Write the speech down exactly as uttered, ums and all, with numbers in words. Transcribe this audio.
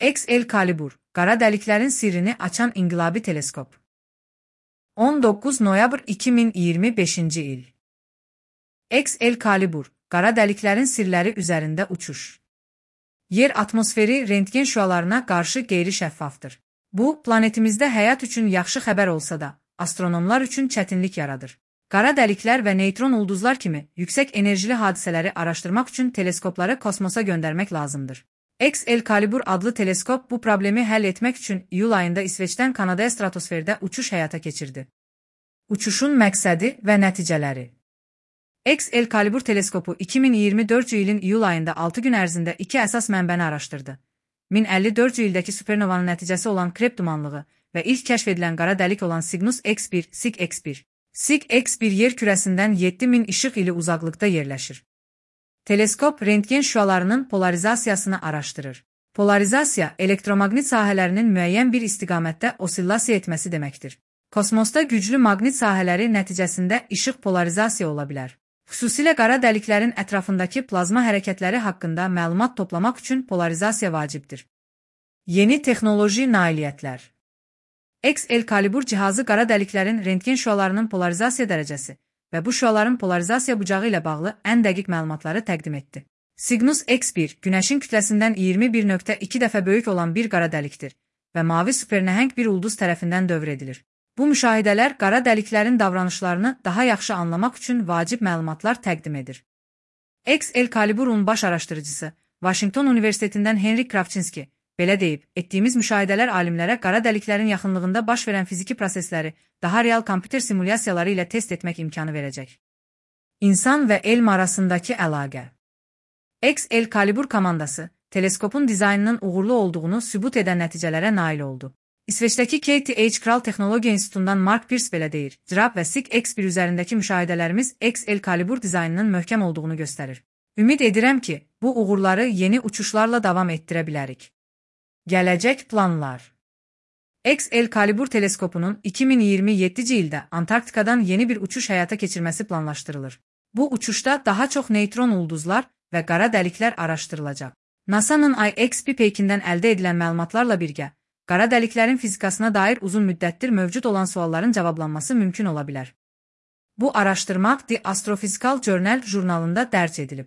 Excalibur, qara dəliklərin sirrini açan inqilabi teleskop. on doqquz noyabr iki min iyirmi beşinci il. Excalibur, qara dəliklərin sirləri üzərində uçuş. Yer atmosferi rentgen şüalarına qarşı qeyri-şəffafdır. Bu, planetimizdə həyat üçün yaxşı xəbər olsa da, astronomlar üçün çətinlik yaradır. Qara dəliklər və neytron ulduzlar kimi yüksək enerjili hadisələri araşdırmaq üçün teleskopları kosmosa göndərmək lazımdır. Excalibur adlı teleskop bu problemi həll etmək üçün iyul ayında İsveçdən Kanadaya stratosferdə uçuş həyata keçirdi. Uçuşun məqsədi və nəticələri. Excalibur teleskopu iki min iyirmi dördüncü ilin iyul ayında altı gün ərzində iki əsas mənbəni araşdırdı. min əlli dördüncü ildəki supernovanın nəticəsi olan Krep dumanlığı və ilk kəşf edilən qara dəlik olan Cygnus X bir, S I G X bir. S I G X bir yer kürəsindən yeddi min işıq ili uzaqlıqda yerləşir. Teleskop rentgen şüalarının polarizasiyasını araşdırır. Polarizasiya, elektromaqnit sahələrinin müəyyən bir istiqamətdə osillasiya etməsi deməkdir. Kosmosda güclü maqnit sahələri nəticəsində işıq polarizasiya ola bilər. Xüsusilə qara dəliklərin ətrafındakı plazma hərəkətləri haqqında məlumat toplamaq üçün polarizasiya vacibdir. Yeni texnoloji nailiyyətlər. Excalibur cihazı qara dəliklərin rentgen şüalarının polarizasiya dərəcəsi və bu şüaların polarizasiya bucağı ilə bağlı ən dəqiq məlumatları təqdim etdi. Cygnus X bir, Günəşin kütləsindən iyirmi bir nöqtə iki dəfə böyük olan bir qara dəlikdir və mavi supernəhəng bir ulduz tərəfindən dövr edilir. Bu müşahidələr qara dəliklərin davranışlarını daha yaxşı anlamaq üçün vacib məlumatlar təqdim edir. Excaliburun baş araşdırıcısı, Washington Universitetindən Henrik Kravchinski, belə deyib, etdiyimiz müşahidələr alimlərə qara dəliklərin yaxınlığında baş verən fiziki prosesləri daha real kompüter simulyasiyaları ilə test etmək imkanı verəcək. İnsan və elm arasındakı əlaqə. Excalibur komandası, teleskopun dizaynının uğurlu olduğunu sübut edən nəticələrə nail oldu. İsveçdəki K T H Kral Texnologiya İnstitutundan Mark Pierce belə deyir, Cirab və S I G X bir üzərindəki müşahidələrimiz Excalibur dizaynının möhkəm olduğunu göstərir. Ümid edirəm ki, bu uğurları yeni uçuşlarla davam etdirə bilərik. Gələcək planlar. Excalibur teleskopunun iki min iyirmi yeddinci ildə Antarktikadan yeni bir uçuş həyata keçirməsi planlaşdırılır. Bu uçuşda daha çox neytron ulduzlar və qara dəliklər araşdırılacaq. NASA'nın I X P peykindən əldə edilən məlumatlarla birgə, qara dəliklərin fizikasına dair uzun müddətdir mövcud olan sualların cavablanması mümkün ola bilər. Bu araşdırma The Astrophysical Journal jurnalında dərc edilib.